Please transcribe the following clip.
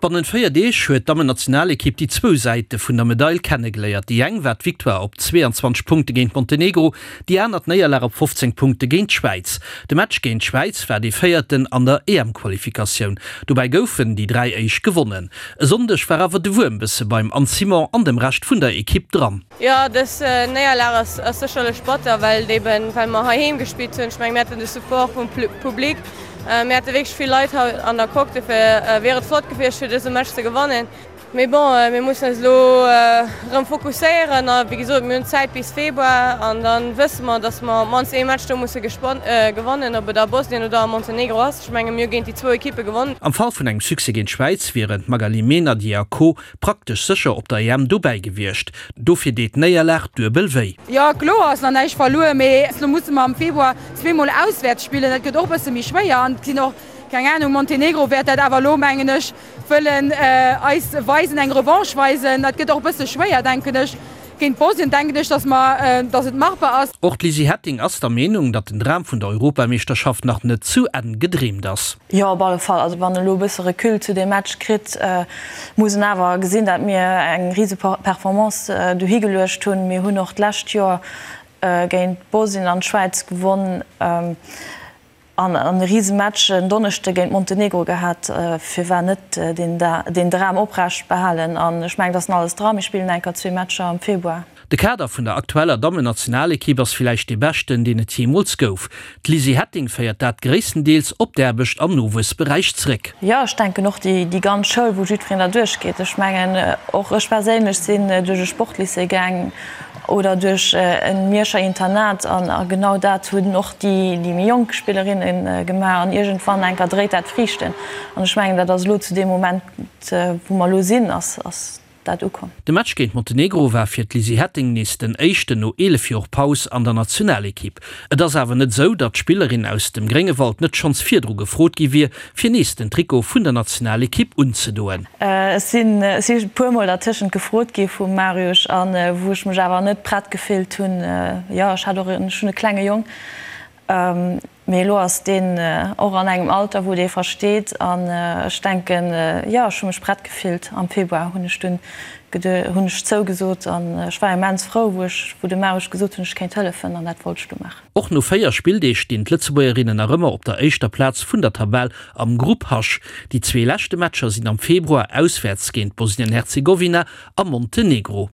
Bannent 4 Deeg huet d'Dammennationalekipp déi zwou Säite vun der Medail kennegeléiert. Déi eng war d'Victoire op 22 Punkte géint Montenegro, déi aner d'Néierlag op 15 Punkte géint d'Schwäiz. De Match géint d'Schwäiz war dee véierten an der EM-Qualifikatioun. Dobäi goufen déi 3 éischt gewonnen. E Sonndeg war awer de Wuerm bësse beim Anne Simon an dem Rescht vun der Ekipp dran. Jo, dës Néierlag ass sécherlech batter, well et eben, well mer heiheem gespillt hunn. Ech mengen, mir haten de Support vum Public, mir hate wierklech vill Leit hei an der Coque, dofir wier et flott gewiescht, fir dëse Match ze gewannen. Mee bon, mir mussen eis elo erëm fokusséieren a wéi gesot, mir hunn Zäit bis Februar an da wësse mer, datt mer op d'mannst ee Match do musse gewannen, ob et a Bosnien oder a Montenegro ass. Ech menge mir hu géint déi zwou Ekippe gewonnen. Am Fall vun engem Succès géint d'Schwäiz wieren d'Magali Meynadier a Co. Praktesch sécher op der EM dobäi gewiescht. Dofir deet d'Néierlag duebel wéi. Jo, kloer ass nach näischt verluer, mee elo musse mer am Februar zweemol auswäerts spillen. Dat gëtt och e bësse méi schwéier an et sinn och, keng Anung, Montenegro wäert dat awer elo, mengen ech, wëllen eis weisen, eng Revanche weisen. Dat gëtt och e bësse schwéier, denken ech. Géint Bosnien denken ech, dass mer, dass et machbar ass. Och d'Lizzie Hetting ass der Meenung, datt den Dram vun der Europameeschterschaft nach net zu Enn gedreemt ass. Jo, op alle Fall. Also wann elo e bësse Recul zu deem Match kritt, muss en awer gesinn, dat mir eng rise Performance dohi geluecht hunn. Mir hunn och d'lescht Joer géint Bosnien an d'Schwäiz gewonn an e rise Match en Donneschde géint Montenegro gehat. Firwat net deen Dram oprecht behalen? An ech mengen, et ass nach alles dran. Mir spillen enker zwee Matcher am Februar. De Kader vun der aktueller Dammennationalekipp ass villäicht dee beschten, deen et jeemools gouf. D'Lizzie Hetting féiert dat gréisstendeels op d'Aarbecht am Nowuessberäich zréck. Jo, ech denken och déi ganz Schoul, wou jiddwereen derduerch geet. Ech mengen, och ech perséinlech sinn duerch e Sportlycée gaang oder duerch e Mierscher Internat an a genau dat hunn och déi méi jonk Spillerinne gemaach an iergendwann enker dréit dat Friichten. An ech mengen, dat ass elo zu deem Moment, wou mer elo sinn, ass dat ukomm. De Match géint Montenegro war fir d'Lizzie Hetting nees den éischten no 11 Joer Paus an der Nationalekipp. Et ass awer net esou, datt d'Spillerin aus dem Gréngewald net schonns virdru gefrot gi wier, fir nees den Trikot vun der Nationalekipp unzedoen. Ech sinn ech si puer mol dertëschent gefrot gi vum Mariusz an wou ech mech awer net prett gefillt hunn. Jo, ech hat och en, ech hunn e klenge Jong. Mee elo ass deen och an engem Alter, wou dee versteet. An ech denken, jo, ech hu mech prett gefillt. Am Februar hunn ech dunn hunn ech zougesot an ech war immens frou, wou ech, wou de Mariusz gesot hunn, ech kéint hëllefen an dat wollt ech du maachen. Och no 4 Spilldeeg stinn d'Lëtzebuergerinnen nach ëmmer op der éischter Plaz vun der Tabell am Grupp H. Déi zwee leschte Matcher sinn am Februar auswäerts géint Bosnien-Herzegowina a Montenegro.